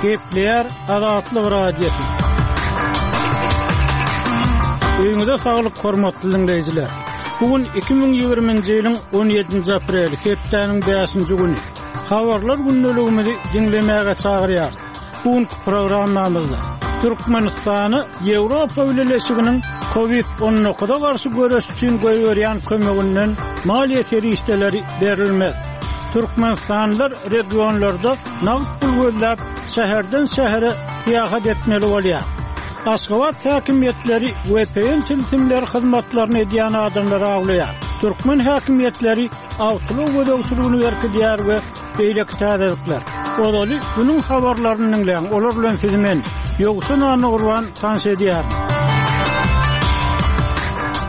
Gepleýär Azatlyk Radiosy. Öýüňize saglyk hormatly diňleýjiler. Bu gün 2020-nji ýylyň 17-nji apreli, hepdäniň 5-nji güni. Habarlar gündeligimizi diňlemäge çagyrýarys. Bu günki programmamyzda Türkmenistana Ýewropa Bileleşiginiň Covid 19-a garşy göreş üçin goýberýän kömeginden maliýe serişdeleri berilmez. Türkmenistanlylar regionlarda nagt pul gözläp, şäherden-şähere syýahat etmeli bolýar. Aşgabat häkimiýetleri VPN tilsimleri hyzmatlaryny edýän adamlary awlaýar. Türkmen häkimiýetleri awtoulag gözegçiligini berkidýär we beýleki täzelikler. Ozaly günüň habarlaryny diňläň, olar bilen sizi men, Ýowşan Annagurban tanyş edýärin.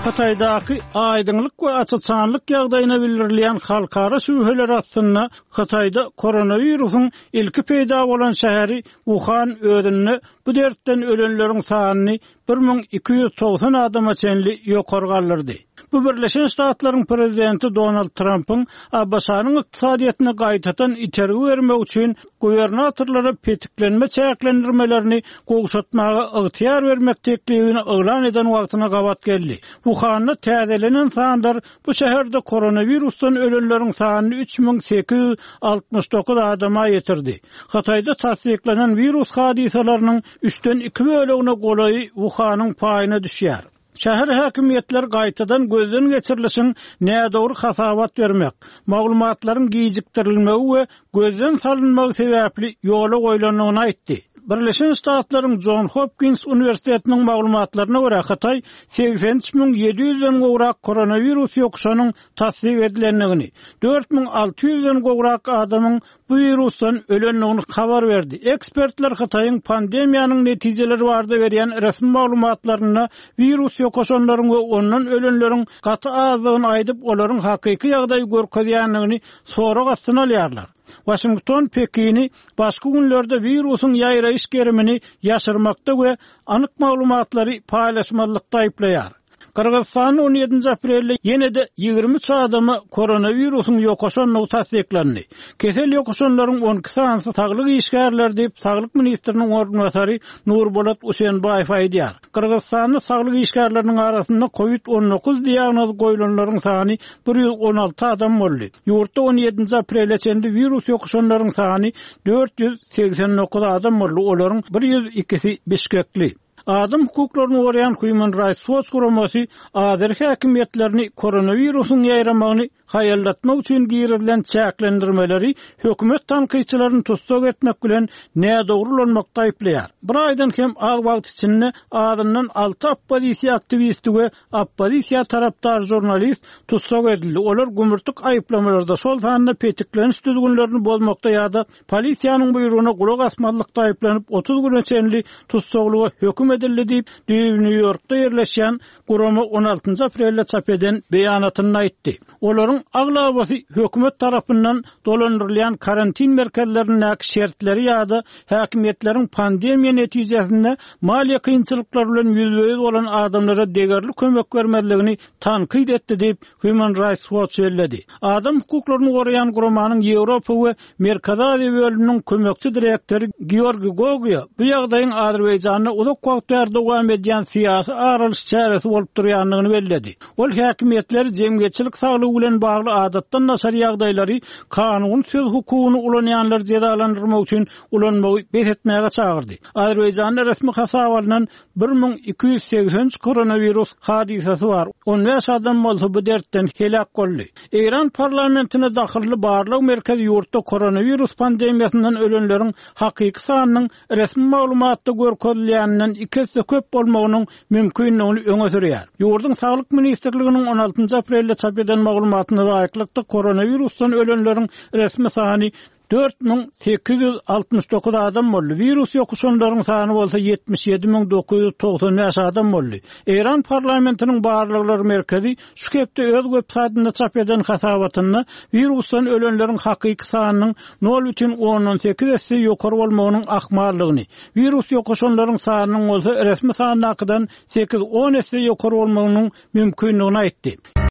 Hytaýdaky aýdyňlyk we aç-açanlyk ýagdaýyna bildirilýän halkara şübheler astynda Hytaýda koronawirusyň ilki peýda bolan şäheri Wuhan özünde bu dertden ölenleriň sanyny 1290 adama çenli ýokary galdyrdy. Bu Birleşen Ştatlaryň prezidenti Donald Trampyň ABŞ-nyň ykdysadyýetine gaýtadan itergi bermek üçin gubernatorlara petiklenme çäklendirmelerini gowşatmaga ygtyýar bermek teklibini yglan eden wagtyna gabat geldi. Wuhanda täzelenen sanlar bu şäherde koronawirusdan ölenleriň sanyny 3869 adama ýetirdi. Hytaýda tassyklanan wirus hadysalarynyň üçden iki bölegine golaýy Wuhanyň paýyna düşýär. Şäher häkimiýetleri gaýtadan gözden geçirilişiň nädogry hasabat bermek, maglumatlaryň gijikdirilmegi we gözden salynmagy sebäpli ýola goýlandygyny aýtdy. Birleşen Ştatlaryň Jon Hopkins uniwersitetiniň maglumatlaryna görä, Hytaý 83 700-den gowrak koronawirus ýokuşanyň tassyk edilendigini, 4600-den gowrak adamyň bu wirusdan ölendigini habar berdi. Ekspertler Hytaýyň pandemiýanyň netijeleri barada berýän resmi maglumatlarynda wirus ýokaşanlaryň we ondan ölenleriň gaty azdygyny aýdyp, olaryň hakyky ýagdaýy görkezýändigini sorag astyna alýarlar. Waşington Pekini başky günlerde wirusyň ýaýraýyş gerimini ýaşyrmakda we anyk maglumatlary paýlaşmazlykda aýyplaýar. Gyrgyzystanda on ýedinji aprelde ýene-de 23 adama koronawirusyň ýokaşandygy tassyklandy. Kesel ýokaşanlaryň 12 sanysy saglyk işgärleri diýip, saglyk ministriniň orunbasary Nurbolat Usenbaýew aýdýar. Gyrgyzystanda saglyk işgärleriniň arasynda covid 19 diagnozy goýlanlaryň sany 116 adam boldy. Ýurtda on ýedinji aprele çenli wirus ýokuşanlaryň sany 489 adam boldy, olaryň bir ýüz ikisi bişkekli. Adam hukuklaryny goraýan Human Rights Watch guramasy azeri häkimiýetlerini koronawirusyň ýaýramagyny haýallatmak üçin girizilen çäklendirmeleri hökümet tankytçylaryny tussag etmek bilen nädogry ulanmakda aýyplaýar. Bir aýdan hem az wagt içinde azyndan alty oppozisiýa aktiwisti we oppozisiýa tarapdar žurnalist tussag edildi, olar gümürtik aýyplamalarda, şol sanda petikleniş düzgünlerini bozmakda ýa-da polisiýanyň buýrugyna gulak asmazlykda aýyplanyp, 30 güne çenli tussaglyga höküm edildi diýip, düýbi Nýu-Ýorkda ýerleşýän gurama on altynjy aprelde çap eden beýanatynda aýtdy. Olaryň aglabasy hökümet tarapyndan dolandyrylýan karantin merkezlerindäki şertleri ýa-da häkimiýetleriň pandemiýa netijesinde maliýe kynçylyklary bilen ýüzbe-ýüz bolan adamlara degerli kömek bermezligini tankyt etdi diýip, Human Rights Watch belledi. Adam hukuklaryny goraýan guramanyň Ýewropa we Merkezi Aziýa bölüminiň kömekçi direktory Georgiý Gogiýa bu ýagdaýyň Azerbaýjanda uzak wagt bäri dowam edýän syýasy ar alyş çäresi bolup durýandygyny belledi. Ol häkimiýetleri jemgyýetçilik saglygy bilen bagly adatdan daşary ýagdaýlary kanuny söz hukugyny ulanýanlary jezalandyrmak üçin ulanmagy bes etmäge çagyrdy. Azerbaýjanda resmi hasaba alnan 1283 koronawirus hadysasy bar, 15 adam bolsa bu dertden heläk boldy. Eýran parlamentine dahylly barlag merkezi ýurtda koronawirus pandemiýasyndan ölenleriň hakyky sanynyň resmi maglumatda görkezilýäninden iki esse köp bolmagynyň mümkindigini öňe sürýär. Ýurduň Saglyk ministrliginiň on altynjy aprelde çap eden maglumatyna laýyklykda, koronawirusdan ölenleriň resmi sany 4869 adam boldy, wirus ýokuşanlaryň sany bolsa 77995 adam boldy. Eýran parlamentiniň barlaglar merkezi şu hepde öz web saýtynda çap eden hasabatynda wirusdan ölenleriň hakyky sanynyň nol bütin ondan sekiz esse ýokary bolmagynyň ahmaldygyny, wirus ýokaşanlaryň sanynyň bolsa resmi sandakydan sekiz-on esse ýokary bolmagynyň mümkindigini aýtdy.